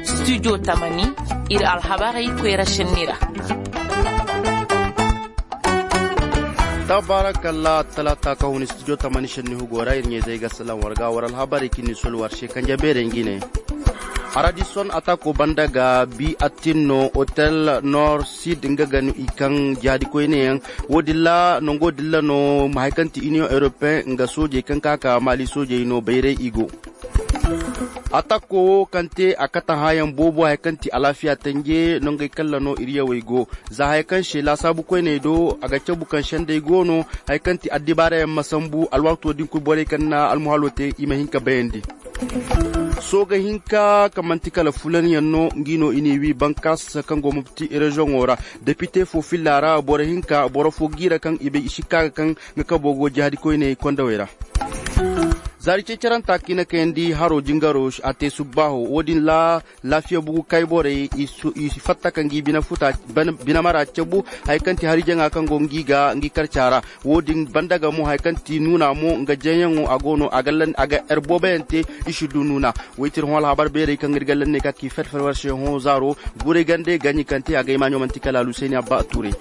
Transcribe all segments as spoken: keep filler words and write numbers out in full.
Studio tamani, ir alhabarey koyra šenni ra. Tabarakalla, talaata ka hun studio tamani šenni hugo ra ir ɲayzey ga salaŋ war ga war alhabarey kaŋ ni sol war se kanje beerey ngi ne. Aradison atako banda ga bi attin no hotel nord sud nga ga no i kaŋ jaadi koyneyaŋ. Wo- din ra nango din ra no ma hari kaŋ ti union europeen nga soojey kaŋ ka ka maali soojey no bayray i go. Atako wo kaŋ te a kate hãayaŋ boobo hari kaŋ ti alaafiya tanje nongey kalla no ir yawey go. Za haya kaŋ se laasaabu koyney do a ga cabu kaŋ sendey go no. Haya kaŋ ti addibaarayaŋ ma sambu alwaato din kul borey kaŋ na almuhalo te i ma hin ka bayandi. Sooga hinka kaŋ manti kala fulanyaŋ no ngi no i n'i wi bankas kaŋ go mopti reziyoŋo ra. Depite fo filla ra boro hinka boro fo giira kaŋ i bay i sikka ga kaŋ nga kabo go jahadi koyney kondawey ra. Zaari ceceranta kaŋ i na kayandi haro jingaro a te subbaaho wo- din ra. Laafiya bugu kay borey i fatta ka ngi bine futa bine mara cabu. Hari kaŋ ti hari jaŋa kaŋ go ngi ga ngi karca ra. Wo- din banda ga mo hari kaŋ ti nuuna mo nga jaŋyaŋo a go no a ga er booboyaŋ te. I si du nuuna. Woy ti ir hõ alhabar beerey kaŋ ir ga lanne ka ki ferfer war se hõ zaaro. Guray gande gaɲi kaŋ te a ga ay maaɲo manti kala alusayni abba a tuuray.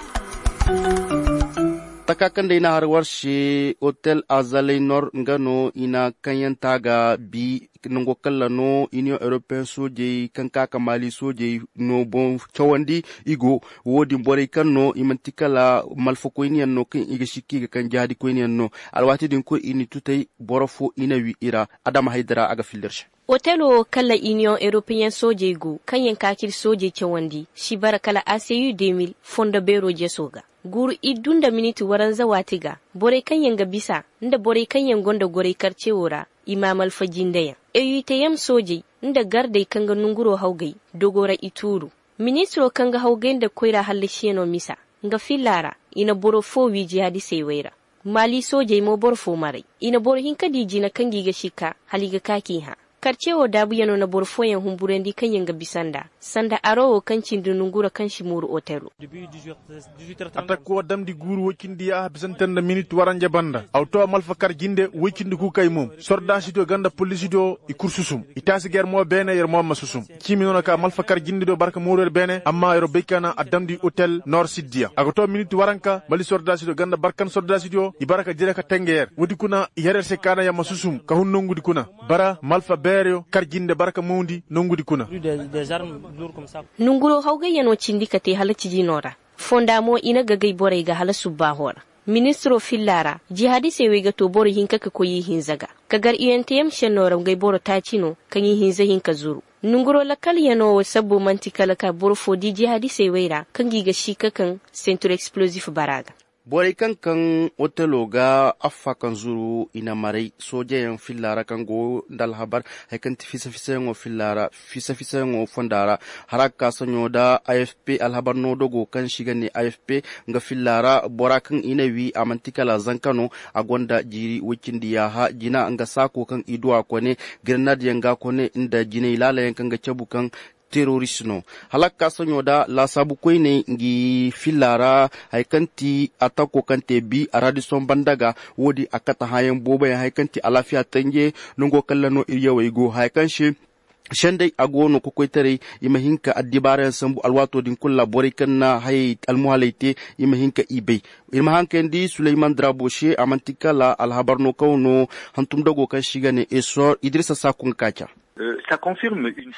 Taka kaŋ day na har war se hotel azalay nor nga no i na kaŋyanta ga bi. Nango kalla no union european soojey kaŋ ka ka maali soojey no boŋ cawandi i go. Wo- din borey kaŋ no i manti kala malfakoyniyaŋ no kaŋ i ga sikka i ga kaŋ jahadikoyniyaŋ no. Alwaati din koy i na tutay boro fo i na wi i ra. Adama haydara a ga filla ir se. Otelo wo kala iniyoŋ europeyaŋ soojey go kaŋ yaŋ ka k'ir soojey cawandi si bara kala a c u de mil fondo beero jeso ga. Guuru ir du nda miniti waranza waati ga. Borey kaŋ yaŋ ga bisa nda borey kaŋ yaŋ gonda gorey karce wo ra i ma malfa jindeyaŋ. E u i te yam soojey nda gardey kaŋ ga nonguroo hawgay dogo ra i tuuru. Ministiroo kaŋ ga hawgay nda koyra hallasiyanoo misa nga fillaa ra, i na boro foo wii jihaadisey wey ra. Maali soojey mo boro foo maray. I na boro hinka dii jina kaŋ ga i ga sikka hala i ga ka k'i hã. Karce woo daabuyanoo na boro fooyaŋ humburandi kaŋ yaŋ ga bisa nd'a sanda aroo woo kaŋ cindi nonguroo kaŋ si mooru oteloo. Atak woo damndi guuru woy cindi yaaha bisante nda minit waranja banda a wa too a ma alfa kar jinde woy cindi kuukay mo. Sordaasi diyo ganda poliisi diyo i kul susum. I taasi ga yer mo beene yer mo ma susum. Ciimi no na ka malfa kar jinde do barka mooru yer beene amma yer bay ka na a damndi otel nor siddiya a ga to minit waranka mali sordaasi do ganda barkan sordaasi do i bara ka jire ka tenge yer woodi kuna i her yer se ka na yer ma susum ka hun nongudi kuna. Bara malfa beereyo kar jinde bara ka mawndi nongudi kuna. Nonguroo hawgayyanoo cindi ka te hala cijinoo ra. Fonda mo i na gagay borey ga hala subbaahoo ra. Ministiroo fillaa ra jihaadisey wey ga too boro hinka ka koy ihinza ga. Ka gar u n t m šennoo ra ngey boro taaci no kaŋ ihinza hin ka zuru. Nonguroo lakkalyanoo wo sabbo man'ti kala ka boro foo dii jihaadisey wey ra kaŋ ga i ga sii ka kaŋ sentur eksplozif bara ga. Borey kaŋ kaŋ oteloo ga affa kaŋ zuru i na maray soojeyaŋ fillaa ra kaŋ go nda alhabar. Haya kaŋ ti fisa fisayaŋoo fillaa ra fisa fisayaŋoo fondaa ra. Hara ga ka saɲoo nda a f p alhabar no dogo kaŋ se i ga ne a f p nga fillaa ra bora kaŋ i na wii a man'ti kala zanka no. A gonda jiiri woy cindi yaaha jina nga saakoo kaŋ i du a kone. Grenad yaŋ ga kone nda jinay laalayaŋ kaŋ ga cabu kaŋ terorist no. Hala ga ka saɲoo nda laasaabu koyney ngi fillaa ra. Haya kaŋ ti atakoo kaŋ te bi aradison banda ga. Woo din a kate hãayaŋ booboyaŋ haya kaŋ ti alaafiya tanje. Nangoo kaŋ ra no ir yawey go haya kaŋ se sendey a go no kokoytaray. I ma hin ka addibaarayaŋ sambu alwaatoo din kul ra borey kaŋ na hayey almuhaley te. I ma hin ka i bay. Ir ma haŋ kayandi suleyman darabo se a man'ti kala alhabar no kaŋ no hantum dogoo kaŋ se i ga ne esor idirisa saaku nga ka ca.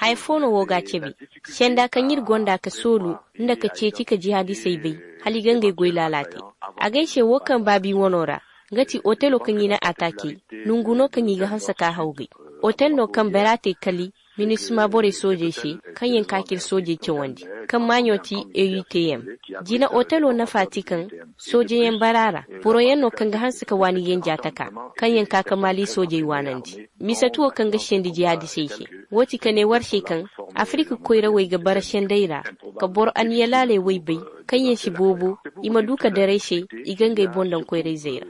Haya foo no woo ga a cabe. Senda kaŋ ir gonda ka soolu nda ka ceeci ka jihaadisey bay hala i ga ngey goy laala te. Agay se woo kaŋ baabi wanoo ra nga ti otelo kaŋ i na ataake. Nongu no kaŋ i ga hanse ka hawgay. Otel no kaŋ bera te kali minisma borey soojey se kaŋ yaŋ ka k'ir soojey cawandi kaŋ maaɲo ti e u t m. Jina otelo nafa ti kaŋ soojeyaŋ bara ra boroyaŋ no kaŋ ga hanse ka waani yenja taka kaŋ yaŋ ka ka maali soojey waanandi. Mise tuwo kaŋ ga sendi jihaadisey se. Woo ti ka ne war se kaŋ afirik koyrawey ga bara sendey ra ka boro aniyalaaley wey bay kaŋ yaŋ si boobo i ma du ka daray se i ga ngey boŋ daŋ koyrayzey ra.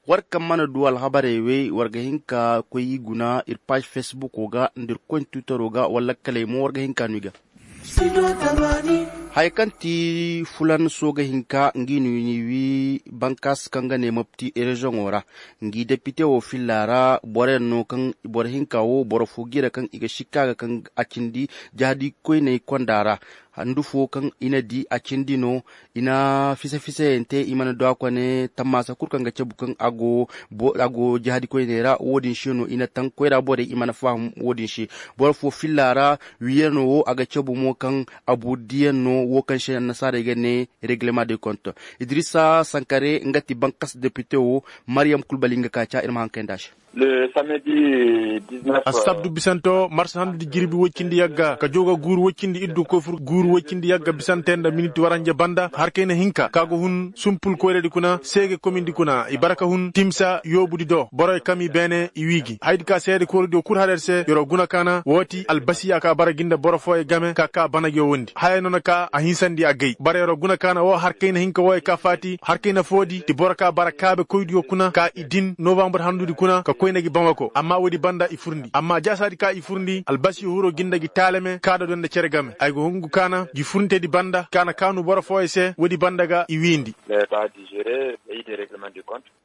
War kaŋ mana du alhabarey wey war ga hin ka koy i guna ir paaž fesbukoo ga nda ir koy nda twitteroo ga wala lakkaley mo war ga hin ka no i ga. Haya kaŋ ti fulan sooga hinka ngi no i n'i wii. Bankas kaŋ ga ne mopti reziyoŋo ra. Ngi depite wo filla ra boro yaŋ no kaŋ boro hinka wo boro fo g'i ra kaŋ i ga sikka ga kaŋ a cindi jahadi koyney konda ra. Handu fo kaŋ i na di a cindi no. I na fisa-fisayante i mana du a kone tammaasa kulu kaŋ ga cabu kaŋ a go jahadi koyney ra wo-din se no i na taŋ koyra borey i mana faham. Wo-din se boro fo filla ra. Wiyano wo a ga cabu mo kaŋ abu diyaŋ no wo kaŋ se annasaarey ga ne reglement de compte. Idrisa sankare nga ti bankas depite wo. Mariyam kulbali nga ka ca ir ma haŋ kayndi a se. Assabdu bisante wo marsa handu di jirbi woy cindi yagga ka jooga guuru woy cindi iddu koy fur guuru woy cindi yagga bisante nda miniti waranje banda har kayna hinka ka ga hun sumpul koyradi kuna seege komindi kuna i bara ka hun timsa yoobudi do borey kami beene i wii gi hayadi ka seede koyradiyo kul har yer se yer'o guna kaana woo ti albasiya ka bara gi nda boro fooyey game ka ka bana gi woo wondi haya no na ka a hinsandi a gay bara yer'o guna kaana woo har kayna hinka wooyey ka faati har kayna foodi ti boro ka bara kaabe koydiyo kuna ka i din novambar handudi kuna ka koyna gi bamako amma woodi banda i furndi amma jaasaadi ka i furndi albasiyo hiro gi nda gi taalame kaada do nda cere game ay go hungu kaana gi furntedi banda kaana kaanu boro fooyey se woodi banda ga i wiindi.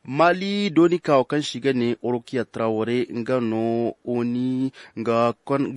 Mali dooni ka wo kaŋ se i ga ne orokiya taraware nga no oni ga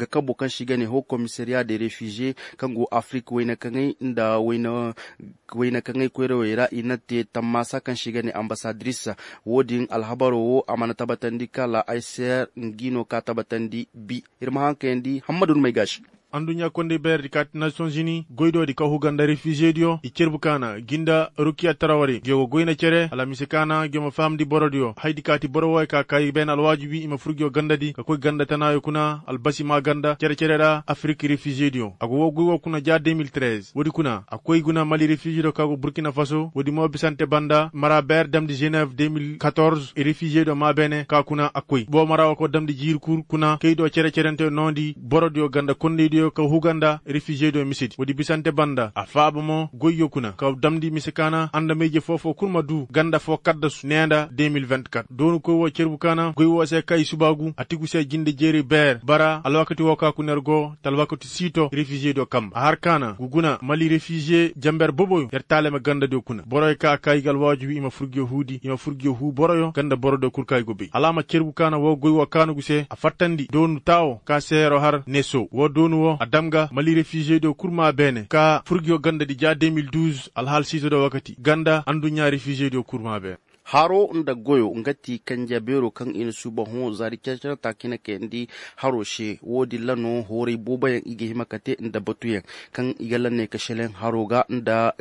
kabo kaŋ se i ga ne ho komisariya de refize kaŋ go afirik wayna kaŋay nda wayna kaŋay koyrawey ra i na te tammaasa kaŋ se i ga ne ambasadiris. Wo-din alhabaro wo a mana tabatandi kala ayser ngi no ka tabatandi bi ir ma haŋ kayandi hammadu ni may gaasi. Anduɲɲa kondey bayra di kaati nasiyonzini goydo di ka huga nda refize diyo i cerbu kaana gi nda rukiya tarawari ngiyo go goyna cere hala mise kaana ngiyo ma fahamndi boro diyo haydi kaati boro wooyo ka kaayi beene alwaajibi i ma fur ngiyo ganda di ka koy ganda tanaayo kuna albasi maa ganda cere-cere ra afirik refize diyo a go woo goy woo kuna ja de mil trez woodi kuna a koy guna mali refize diyo ka go burkina faso woodi mo bisante banda mara beer damndi ženev de mil katorz refize diyo maa beene ka kuna a koy boo mara woo ka damndi jiiri kur kuna kay do cere-cerente noondi boro diyo ganda kondey diyo ka huga nda refize diyo mise di woodi bisante banda a faaba mo goyyo kuna ka damndi mise kaana andamey-je foo-foo kul ma duu ganda foo kaddasu nee nda de mil vingt-kat dooni koy woo cerbu kaana goy woo se kay subaagu a tigu se jinde jeeri beer bara alwakati woo ka kuna yer go te alwakati siito refize diyo kamba a har kaana ngu guna mali refize jenber boboyo yer taalame ganda diyo kuna boroyo ka a kaayi ga alwaajibi i ma fur ngiyo huu di i ma fur ngiyo huu boroyo ganda boro diyo kul ka i go bay hala a ma cerbu kaana woo goy woo kaanu gu se a fattandi doonu taawo ka se yer'o har neso woo doonu woo a dam ga mali refize diyo kul maa beene ka fur ngiyo ganda di ja de mil duz alhaal siito do wakati ganda anduɲɲa refize diyo kul maa beene. Haro nda goyo nga ti kanja beero kaŋ i na suuba hõ zaari care-care ta ka i na kayandi haro se wo-din ra no hooray booboyaŋ i ga hima ka te nda batuyaŋ kaŋ i ga lanney ka seleŋ haro ga nda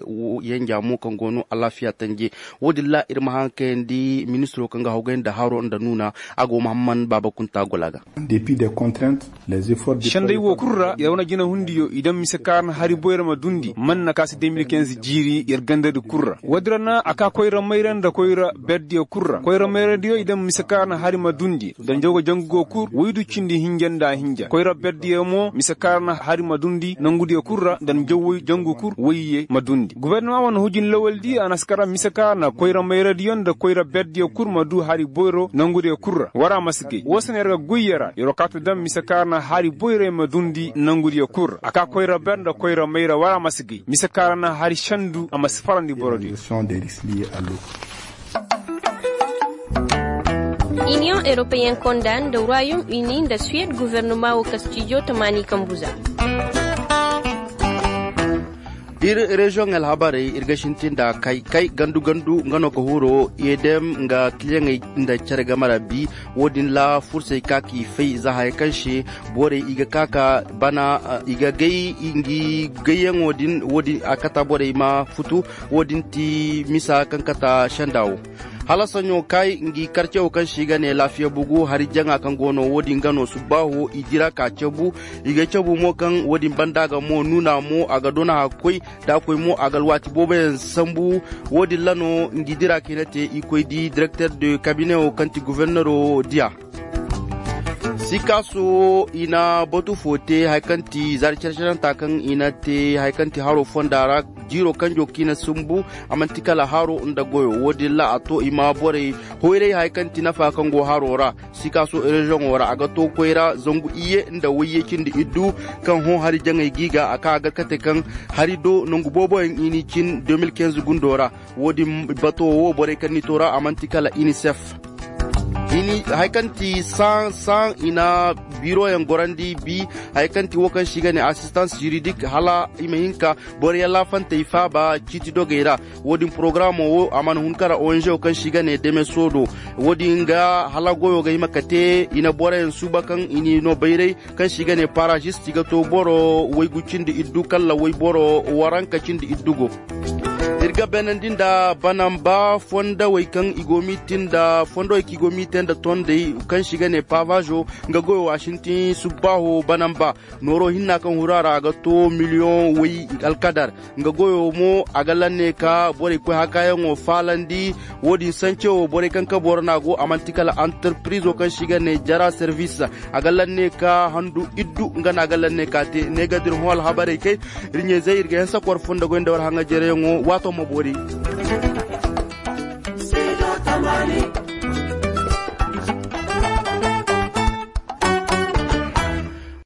yenja mo kaŋ go no alaafiya tanje. Wo-din ra ir ma haŋ kayandi ministiro kaŋ ga hawgay nda haro nda nuuna a go mahamman baaba kunta gola ga. Senday wo kul ra yer wane jinehundiyo i daŋ mise kaarna hari boyra ma dundi man na ka se de mil kinze jiiri yer gandadi kul ra woodin ra na a ka koyra mayra nda koyra berdiyo kul ra koyra mayradiyo i daŋ mise kaarna hari ma dundi nda njawga jangugo kul woy du cindi hinja nda hinja koyra berdiyo mo mise kaarna hari ma dundi nangudiyo kul ra nda njawway jangu kul woyye ma dundi gubernama wane hujin lawaldi a na si kara mise kaarna koyra mayradiyo nda koyra berdiyo kul ma du hari boyro nangudiyo kul ra war a ma si gay woo se no yer ga goy yer ra yer wo kaati daŋ mise kaarna hari boyray ma dundi nangudiyo kul ra a ka koyra ber nda koyra mayra war a ma si gay mise kaarna hari sendu a ma si farandi borodiyo. Iniyoŋ eropeyen konda nda royom ini nda suwed guvernoma wo kastijo tamaani kambuza. Ir reziyoŋ alhabarey ir ga sintin nda kay kay gandu gandu nga no ka huro edem nga kiliyaŋey nda care game ra bi. Wo-din ra fursey ka k'i fay za haya kaŋ se borey i ga ka ka bana i ga gay ngi gayyaŋo din wo-din a kata borey ma futu. Wo-din ti misa kaŋ kata senda wo hala soɲo kay ngi karce wo kaŋ se i ga ne laafiya bugu hari jaŋa kaŋ go no wo-din ga no subbaaho i dira ka cabu. I ga cabu mo kaŋ wo-din banda ga mo nuuna mo a ga dona hakkoy da a koy mo a ga alwaati booboyaŋ sambu. Wo-din ra no ngi dira kaŋ i na te i koy di direkter de kabine wo kaŋ ti guvernero diya. Sikaaso i na batu fo te hari kaŋ ti zaari care-caranta kaŋ i na te hari kaŋ ti haro fonda ra. Jiiro kanjo kaŋ i na sumbu a man'ti kala haro nda goyo. Wo-din ra a to i ma borey hoyray hari kaŋ ti nafa kaŋ go haro ra. Sikaaso reziyoŋo ra a ga to koyra zangu iyye nda wayye cindi iddu kaŋ hõ hari jaŋay g'i ga a ka a ga kate kaŋ hari do nangu booboyaŋ i n'i cin de mil kinze gundo ra. Wo-din bato wo borey kaŋ n'i to ra a man'ti kala inisef. Hari kaŋ ti saŋ saŋ i na biiroyaŋ gorandi bi hari kaŋ ti wo kaŋ se i ga ne asistans jiridik hala i ma hin ka boroyaŋ laafantey faaba ciiti dogey ra. Wo-din porogaraamo wo a mana hun kara onže wo kaŋ se i ga ne deme soodo. Wo-din ga hala goyo ga hima ka te i na boroyaŋ suuba kaŋ i n'i no bayray kaŋ se i ga ne parazist i ga to boro waygu cindi iddu kalla wayboro waranka cindi iddu go. Ir ga beenandi nda banamba fondowey kaŋ i go m'i te nda fondowey kaŋ i go m'i te nda tondey kaŋ se i ga ne pavazo. Nga goyo a sintin subbaaho banamba nooro hinna kaŋ huru a ra a ga to miliyoŋ way alkadar. Nga goyo mo a ga lanne ka borey koy hakaayaŋo faalandi. Wo-din sance wo borey kaŋ ka boro no a go a man'ti kala antarpirizo kaŋ se i ga ne jara servis. A ga lanne ka handu iddu nga no a ga lanne ka te ne ga dir hõ alhabarey kay. Ir ɲayzey ir ga hanse kor fo nda goy nda war haŋajereyaŋo waato ma boori.